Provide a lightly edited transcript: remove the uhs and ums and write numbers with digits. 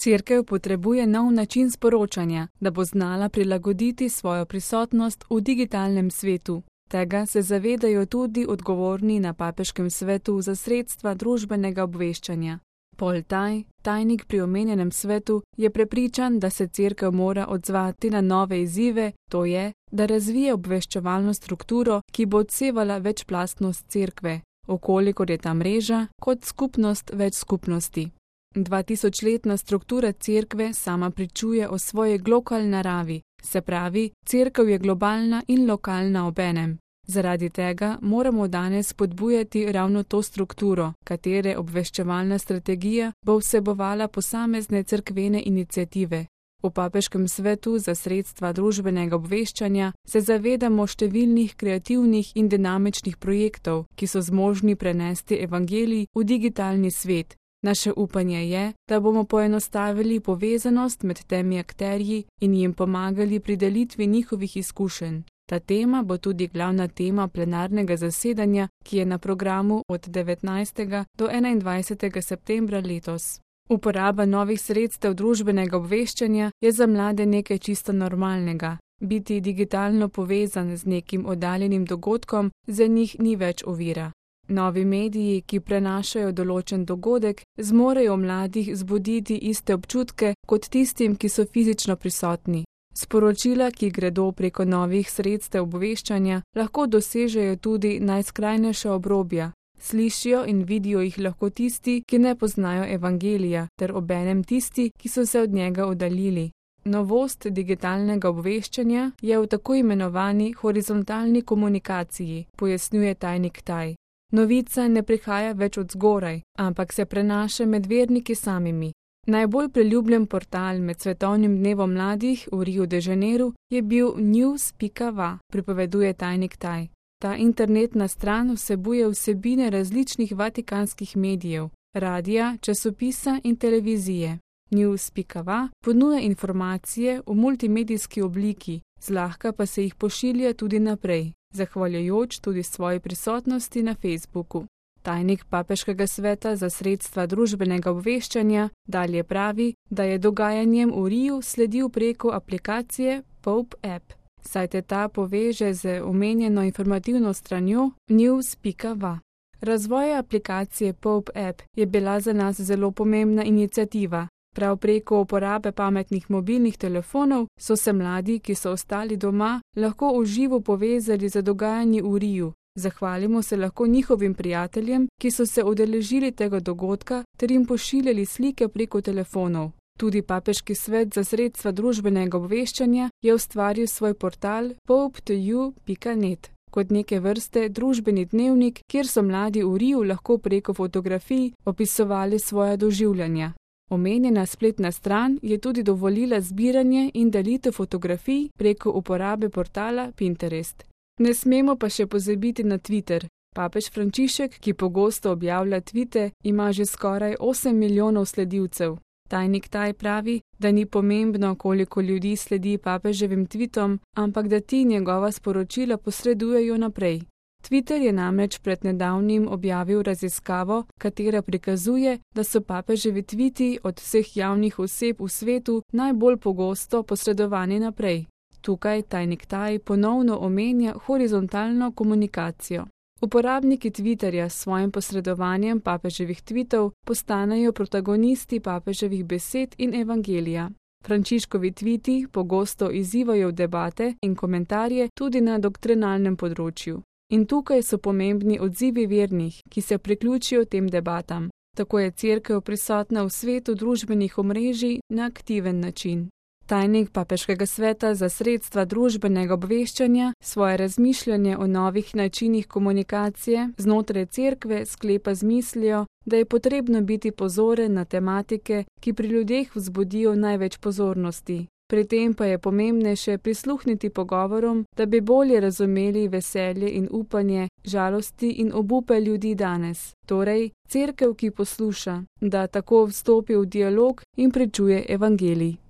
Cerkev potrebuje nov način sporočanja, da bo znala prilagoditi svojo prisotnost v digitalnem svetu. Tega se zavedajo tudi odgovorni na Papeškem svetu za sredstva družbenega obveščanja. Paul Taj, tajnik pri omenjenem svetu, je prepričan, da se cerkev mora odzvati na nove izzive, to je, da razvije obveščevalno strukturo, ki bo odsevala večplastnost cerkve, okolikor je ta mreža kot skupnost več skupnosti. 2000-letna struktura cerkve sama pričuje o svoji globalni naravi, se pravi, cerkev je globalna in lokalna obenem. Zaradi tega moramo danes spodbujati ravno to strukturo, katere obveščevalna strategija bo vsebovala posamezne cerkvene iniciative. V Papeškem svetu za sredstva družbenega obveščanja se zavedamo številnih kreativnih in dinamičnih projektov, ki so zmožni prenesti evangelij v digitalni svet. Naše upanje je, da bomo poenostavili povezanost med temi akterji in jim pomagali pri delitvi njihovih izkušenj. Ta tema bo tudi glavna tema plenarnega zasedanja, ki je na programu od 19. do 21. septembra letos. Uporaba novih sredstev družbenega obveščanja je za mlade nekaj čisto normalnega. Biti digitalno povezan z nekim oddaljenim dogodkom za njih ni več ovira. Novi mediji, ki prenašajo določen dogodek, zmorejo mladih zbuditi iste občutke kot tistim, ki so fizično prisotni. Sporočila, ki gredo preko novih sredstev obveščanja, lahko dosežejo tudi najskrajnejša obrobja. Slišijo in vidijo jih lahko tisti, ki ne poznajo evangelija, ter obenem tisti, ki so se od njega oddaljili. Novost digitalnega obveščanja je v tako imenovani horizontalni komunikaciji, pojasnjuje tajnik Taj. Novica ne prihaja več od zgoraj, ampak se prenaša med verniki samimi. Najbolj priljubljen portal med svetovnim dnevom mladih v Riu de Janeiro je bil news.va, pripoveduje tajnik Taj. Ta internetna stran vsebuje vsebine različnih vatikanskih medijev, radija, časopisa in televizije. News.va ponuja informacije v multimedijski obliki, zlahka pa se jih pošilja tudi naprej, zahvaljujoč tudi svoji prisotnosti na Facebooku. Tajnik Papeškega sveta za sredstva družbenega obveščanja dalje pravi, da je dogajanjem v Riu sledil preko aplikacije Pope App, saj te ta poveže z omenjeno informativno stranjo news.va. Razvoj aplikacije Pope App je bila za nas zelo pomembna iniciativa. Prav preko uporabe pametnih mobilnih telefonov so se mladi, ki so ostali doma, lahko v živo povezali za dogajanje v Riu. Zahvalimo se lahko njihovim prijateljem, ki so se udeležili tega dogodka, ter jim pošiljali slike preko telefonov. Tudi Papeški svet za sredstva družbenega obveščanja je ustvaril svoj portal pope2u.net kot neke vrste družbeni dnevnik, kjer so mladi v Riu lahko preko fotografij opisovali svoja doživljanja. Omenjena spletna stran je tudi dovolila zbiranje in delitev fotografij preko uporabe portala Pinterest. Ne smemo pa še pozabiti na Twitter. Papež Frančišek, ki pogosto objavlja tvite, ima že skoraj 8 milijonov sledilcev. Tajnik Taj pravi, da ni pomembno, koliko ljudi sledi papeževim tvitom, ampak da ti njegova sporočila posredujejo naprej. Twitter je namreč pred nedavnim objavil raziskavo, katera prikazuje, da so papeževi tviti od vseh javnih oseb v svetu najbolj pogosto posredovani naprej. Tukaj tajnik Taj ponovno omenja horizontalno komunikacijo. Uporabniki Twitterja s svojim posredovanjem papeževih tvitov postanejo protagonisti papeževih besed in evangelija. Frančiškovi tviti pogosto izzivajo debate in komentarje tudi na doktrinalnem področju. In tukaj so pomembni odzivi vernih, ki se priključijo tem debatam. Tako je cerkev prisotna v svetu družbenih omrežij na aktiven način. Tajnik Papeškega sveta za sredstva družbenega obveščanja svoje razmišljanje o novih načinih komunikacije znotraj cerkve sklepa z mislijo, da je potrebno biti pozoren na tematike, ki pri ljudeh vzbudijo največ pozornosti. Pri tem pa je pomembnejše prisluhniti pogovorom, da bi bolje razumeli veselje in upanje, žalosti in obupe ljudi danes. Torej, cerkev, ki posluša, da tako vstopi v dialog in pričuje evangelij.